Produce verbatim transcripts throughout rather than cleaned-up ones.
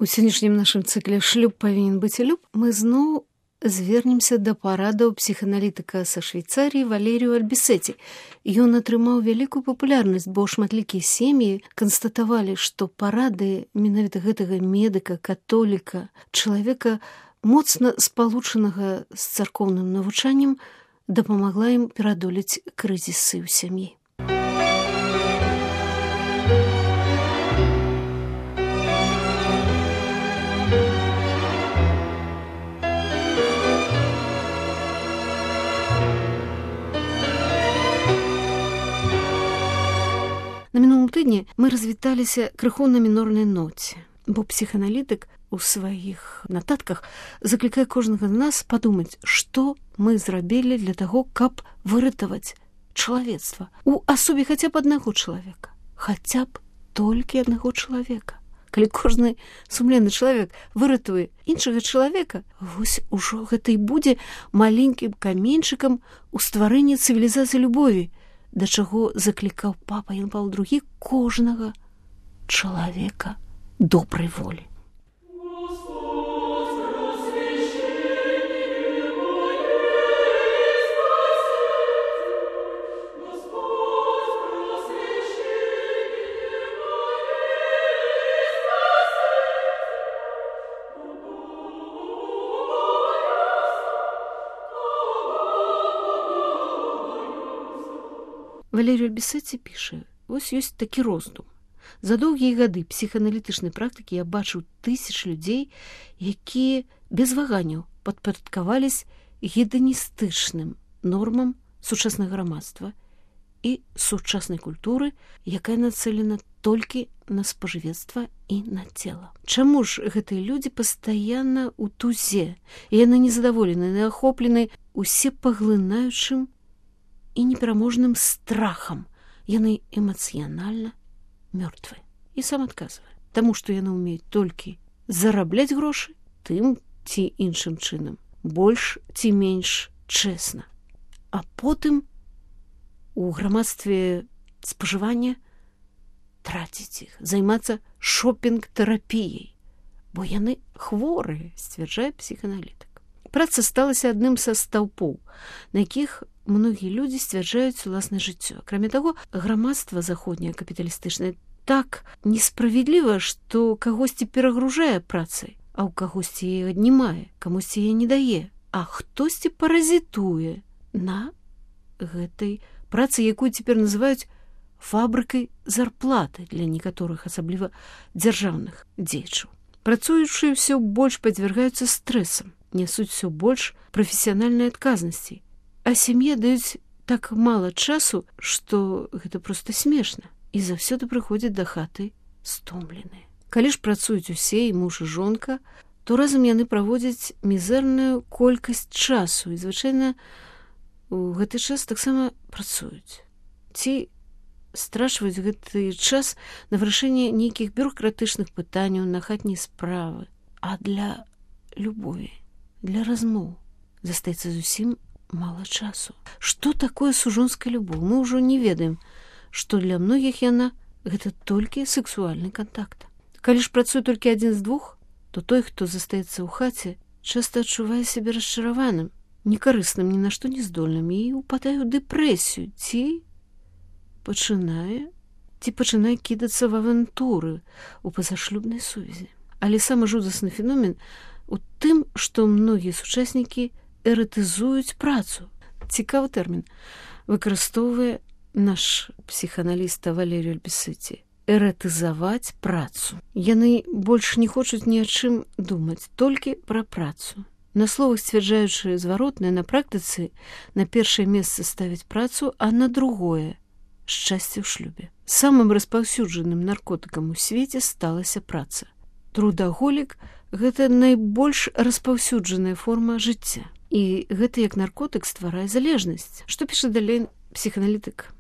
У сённяшнім нашым цыкле «Шлюб павінен быць і люб» мы зноў звернемся да парадаў псіханалітыка са Швейцарыі Валерію Альбісеці. Ён атрымаў вялікую папулярнасць, бо шматлікія сем'і канстатавалі, што парады менавіта гэтага медыка, католіка, чалавека моцна спалучанага з царкоўным навучаннем, дапамагла ім перадолець крызісы ў сям'і. На мінулым тыдні мы развіталіся крыху на мінорнай ноце, бо псіханалітык у сваіх нататках заклікае кожнага з нас падумаць, што мы зрабілі для таго, каб выратаваць чалавецтва у асобе хаця б аднаго чалавека, хаця б толькі аднаго чалавека. Калі кожны сумленны чалавек выратуе іншага чалавека, вось ужо гэта і будзе маленькім каменьчыкам у стварэнні цывілізацыі любові, да чаго заклікаў папа Ян Паўл другі кожнага чалавека добрай волі. Валерій Альбісеці піша, ось ёсць такі роздум. За доўгія гады псіхааналітычнай практыкі я бачыў тысяч людзей, якія без ваганняў падпарадкавались геданістычным нормам сучаснага грамадства і сучаснай культуры, якая нацэлена толькі на спажывецтва і на цела. Чаму ж гэтыя людзі пастаянна ў тузе, і яны незадаволены, ахоплены усепаглынаючым і непераможным страхам. Яны эмацыянальна мёртвыя. І сам адказвае. Таму, што яны ўмеюць толькі зарабляць грошы тым ці іншым чынам, больш ці менш чэсна. А потым у грамадстве спажывання траціць іх, займацца шопінг-тэрапіяй, бо яны хворыя, сцвярджае псіхааналітык. Праца сталася адным са стаўпоў, на якіх многія людзі сцвярджаюць уласнае жыццё. Акрамя таго, грамадства заходняе капіталістычнае так несправядліва, што кагосьці перагружае працай, а ў кагосьці яе аднімае, камусьці яе не дае, а хтосьці паразітуе на гэтай працы, якую цяпер называюць фабрыкай зарплаты для некаторых, асабліва дзяржаўных дзеячаў. Працуючыя ўсё больш падвяргаюцца стрэсам, нясуць усё больш прафесіянальнай адказнасці, а сям'е даюць так мала часу, што гэта проста смешна, і заўсёды прыходзяць да хаты стомленыя. Калі ж працуюць усе, і муж і жонка, то разам яны праводзяць мізэрную колькасць часу, і звычайна у гэты час таксама працуюць. Ці страчваюць гэты час на вырашэнне нейкіх бюрократычных пытанняў, на хатнія справы, а для любові, для размоў застаецца зусім мала часу. Што такое сужонская любоў? Мы ўжо не ведаем, што для многіх яна гэта толькі сексуальны кантакт. Калі ж працуе толькі адзін з двух, то той, хто застаецца ў хаце, часта адчувае сябе расчараваным, некарысным, ні на што не здольным і упадае ў дэпрэсію, ці пачынае ці пачынае кідацца в авантуры у пазашлюбнай сувязі. Але самы жудасны феномен у тым, што многія сучаснікі эратызуюць працу. Цікавы тэрмін выкарыстоўвае наш псіхааналіст Валерій Альбісеці. Эратызаваць працу. Яны больш не хочуць ні о чым думаць, толькі пра працу. На словах сцвярджаючы зваротнае, на практыцы на першае месца ставіць працу, а на другое – шчасце ў шлюбе. Самым распаўсюджаным наркотыкам у свеце сталася праца. Трудаголік – гэта найбольш распаўсюджаная форма жыцця. І гэта як наркотык стварае залежнасць. Што піша далей псіхааналітык?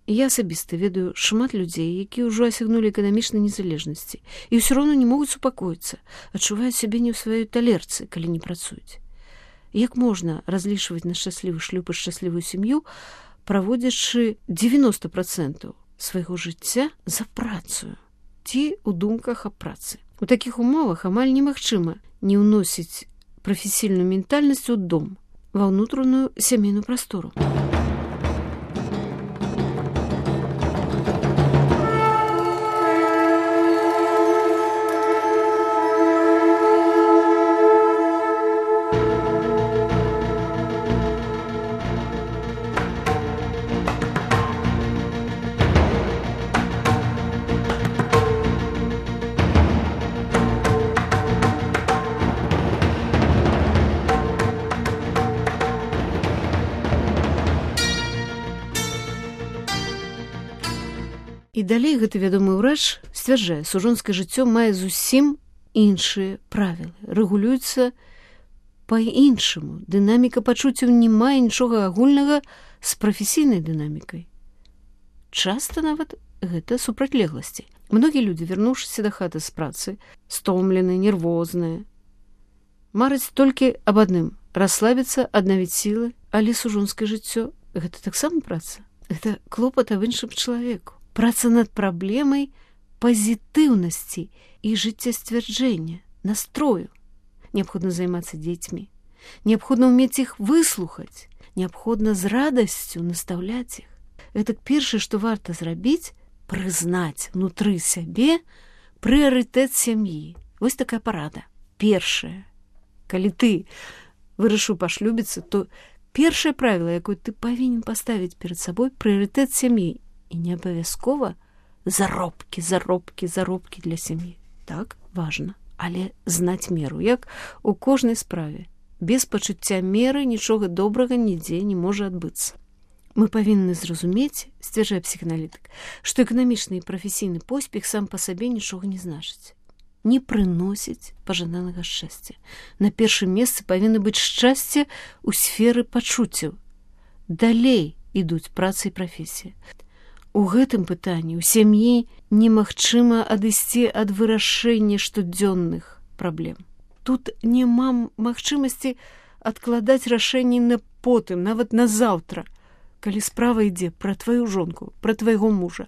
Я асабіста ведаю шмат людзей, якія ўжо асягнулі эканамічнай незалежнасці і ўсё роўна не могуць супакоіцца, адчуваюць сябе не ў сваёй талерцы, калі не працуюць. Як можна разлічваць на шчаслівы шлюб і шчаслівую сям'ю, праводзячы дзевяноста працэнтаў свайго жыцця за працу ці ў думках аб працы? У такіх умовах амаль немагчыма не ўносіць прафесійную ментальнасць у дом, ва ўнутраную сямейную прастору. І далей гэты вядомы ўрач сцвярджае, сужонскае жыццё мае зусім іншыя правілы, рэгулюецца па-іншаму. Дынаміка пачуццяў не мае нічога агульнага з прафесійнай дынамікай. Часта нават гэта супрацьлегласці. Многія людзі, вярнуўшыся дахаты з працы, стомленыя, нервозныя, мараць толькі аб адным – расслабіцца, аднавіць сілы, але сужонскае жыццё – гэта таксама праца. Гэта клопат аб іншым чалавеку. Праца над праблемай пазітыўнасці і жыццясцвярджэння, настрою. Неабходна займацца дзецьмі. Неабходна ўмець іх выслухаць. Неабходна з радасцю настаўляць іх. Гэта першае, што варта зрабіць, прызнаць внутры сябе прыярытэт сям'і. Вось такая парада. Першае. Калі ты вырашыў пашлюбіцца, то першае правіла, якое ты павінен паставіць перад сабой, прыярытэт сям'і. І не абавязкова заробкі, заробкі, заробкі для сям'і. Так, важна. Але знаць меру, як у кожнай справе. Без пачуцця меры нічога добрага нідзе не можа адбыцца. Мы павінны зразумець, сцвярджае псіханалітык, што эканамічны і прафесійны поспех сам па сабе нічога не значыць. Не прыносіць пажаданага шчасця. На першым месцы павінна быць шчасце ў сферы пачуццяў. Далей ідуць праца і прафесія. У гэтым пытанні ў сям'і немагчыма адысці ад вырашэння штодзённых праблем. Тут няма магчымасці адкладаць рашэнні на потым, нават на заўтра, калі справа ідзе пра тваю жонку, пра твайго мужа,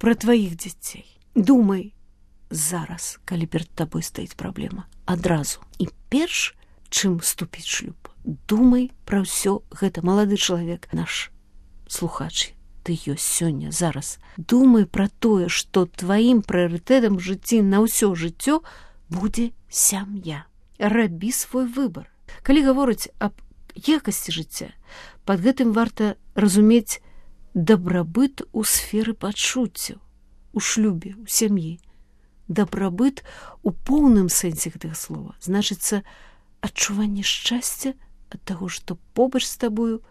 пра тваіх дзяцей. Думай зараз, калі перад табой стаіць праблема, адразу. І перш, чым ступіць шлюб, думай пра ўсё гэта, малады чалавек, наш слухач. Ты ёсць сёння, зараз. Думай пра тое, што тваім прыярытэтам у жыцці на ўсё жыццё будзе сям'я. Рабі свой выбар. Калі гаворыць аб якасці жыцця, пад гэтым варта разумець дабрабыт у сферы пачуццяў, у шлюбе, у сям'і. Дабрабыт у поўным сэнсе гэтага слова. Значыцца, адчуванне шчасця ад таго, што побач з табою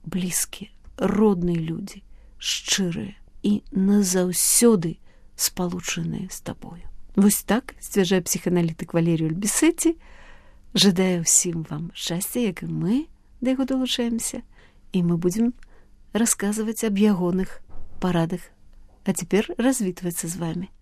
блізкія, родныя людзі, шчырыя і назаўсёды спалучаныя з табою. Вось так сцвярджае псіханалітык Валерій Ульбісеці. Жадаю ўсім вам шчасця, як і мы да яго далучаемся, і мы будзем расказваць аб ягоных парадах. А цяпер развітвацца з вамі.